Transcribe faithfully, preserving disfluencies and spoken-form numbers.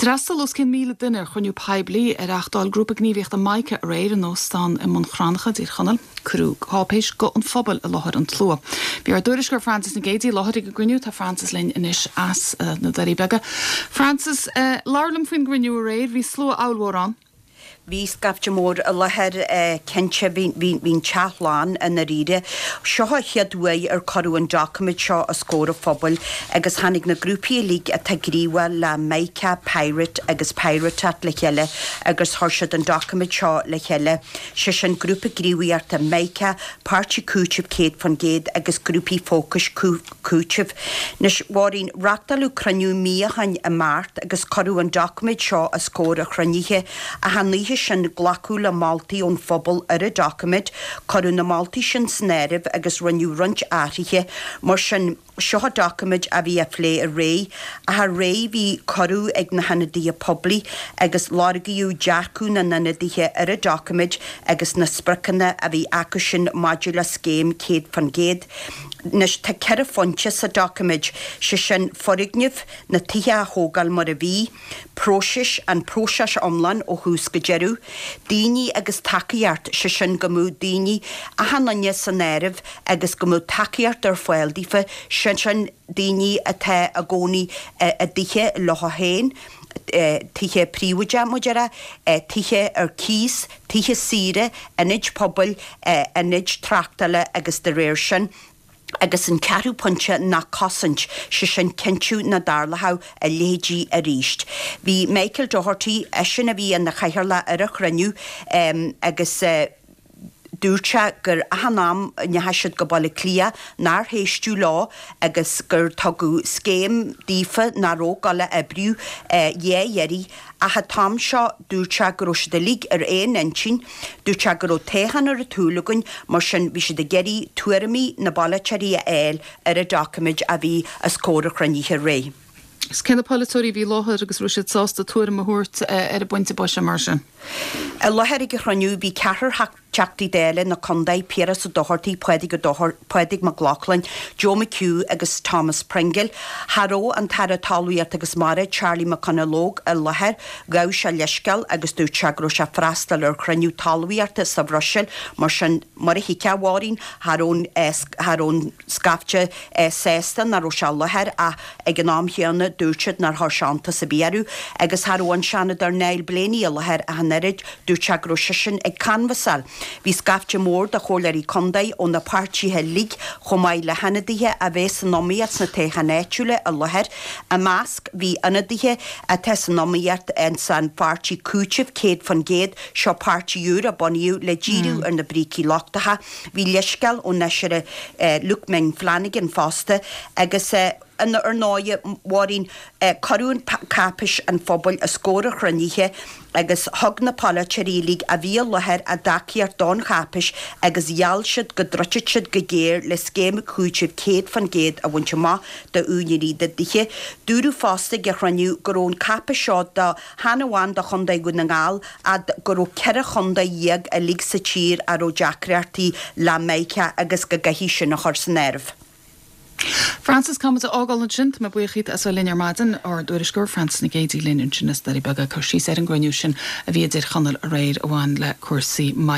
D'fhreastail os cionn míle duine ar chruinniú poiblí a reáchtáil grúpa gníomhaíochta Mica aréir in óstán i mBun Cranncha i dTír Chonaill. Cuireadh cáipéis Guth an Phobail i láthair an tslua. Bhí ár dtuairisceoir Frances Nic Géadaigh i láthair ag an gcruinniú tá Frances linn anois as uh, na Doirí Beaga. Frances uh, labhair liom faoin gcruinniú aréir bhí slua ollmhór ann. Bhí scaifte mór i láthair cinnte bhí an teach lán i ndáiríre. Seo an chéad uair ar cuireadh an doiciméad seo os comhair an phobail agus tháinig na grúpaí uilig atá gníomhach le Mica, Pirate agus Pirotat le chéile agus chuir siad an doiciméad seo le chéile. Sé sin grúpa gníomhaíochta Mica, Páirtí Cúitimh céad faoin gcéad agus grúpaí fócais cúitimh. Anois a Mháirín reáchtáladh cruinniú mí ó shin i Márta agus cuireadh an doiciméad seo os comhair an chruinnithe ach an oíche sin glacadh le moltaí ón phobal ar an doiciméad, cuireadh na moltaí sin san áireamh agus rinneadh roinnt athruithe mar sin seo an doiciméad a bhí á phlé aréir ach aréir bhí cuireadh ag na hionadaithe poiblí agus lorgaíodh dearcadh na n-ionadaithe ar an doiciméad agus na spriocanna a bhí acu sin maidir le scéim céad faoin gcéad. Anois tá ceithre phointe sa doiciméad sé sin foirgnimh na tithe a thógáil mar a bhí, próiseas an próiseas iomlán ó thús go deireadh, daoine agus tacaíocht sé sin go mbeadh daoine achan duine san áireamh agus go mbeadh tacaíocht ar fáil daofa sin sin daoine atá ina gcónaí i dtithe leo féin, tithe príobháideacha mar a déarfá, tithe ar cíos, tithe saoire, ionaid pobail, ionaid tráchtála agus de réir sin. Agus an ceathrú pointe ná cosaint sé sin cinntiú nach dtarlódh a leithéidí arís. Bhí Michael Doherty eisean a bhí ina chathaoirleach ar an chruinniú um, agus uh, dúirt sé gur achan am a ndeachaigh siad go Baile Átha Cliath nár éisteadh leo agus gur tugadh scéim daofa nach raibh ag gabháil a oibriú dhá iarraidh ach an t-am seo dúirt sé go raibh siad uilig ar aon intinn, dúirt sé go raibh toghchán ar an tsúil againn mar sin bhí siad ag iarraidh tuairimí na bpolaiteoirí a fháil ar an doiciméad a bhí os comhair an chruinnithe aréir. Is cé na polaiteoirí a bhí i láthair agus raibh siad sásta tuairim a thabhairt ar an bpointe boise mar sin. I láthair ag an chruinniú bhí ceathrar Teachtaí Dála na contae Piaras Ó Dochartaigh Pádraig Pádraig Mac Lochlainn, Joe McHugh agus Thomas Pringle. Cha raibh an tAire Talmhaíochta agus Mara Charlie McConalogue i láthair, ghabh sé leithscéal agus dúirt sé go raibh sé freastal ar chruinniú talmhaíochta sa Bhruiséil mar sin mar a thuigfeá a Mháirín cha raibh an scaifte sásta nach raibh sé i láthair ach ag an am chéanna dúirt siad nár chuir sé iontas ar bith orthu agus cha raibh an Seanadóir Niall Blaney i láthair ach an oiread dúirt sé go raibh seisean ag canbhasáil. Bhí scaifte mór de chomhairleoirí contae ó na páirtithe uilig chomh maith le hionadaithe a bheas san iomaíocht sna toghcháin áitiúla i láthair. I measc bhí ionadaithe atá san iomaíocht san pháirtí cúitimh céad faoin gcéad seo páirtí úr a bunaíodh le díriú ar na brící lochtacha. Bhí leithscéal ón fheisire Luke Ming Flanagan fosta agus ar ndóigh a Mháirín cuireadh cáipéis an phobail os comhair an chruinnithe agus thug na polaiteoirí uilig a bhí i láthair a dtacaíocht don cháipéis agus gheall siad go dtroidfeadh siad go géar le scéim cúitimh céad faoin gcéad a bhaint amach d'úinéirí na dtithe. Dúradh fosta ag an chruinniú go raibh an cáipéis seo do chan amháin do Chontae Dhún na nGall ach go raibh ceithre chontae dhéag uilig sa tír a raibh deacrachtaí le Mica agus go gcaithfidh sin a chur san áireamh. Frances caithfidh muid a fhágáil ansin tá mé buíoch díot as linn ar maidin ár dtuairisceoir Frances Nic Géadaigh linn ansin as Doirí Beaga cur síos ar an gcruinniú sin a bhí i dTír Chonaill aréir a bhain le cúrsaí Mica.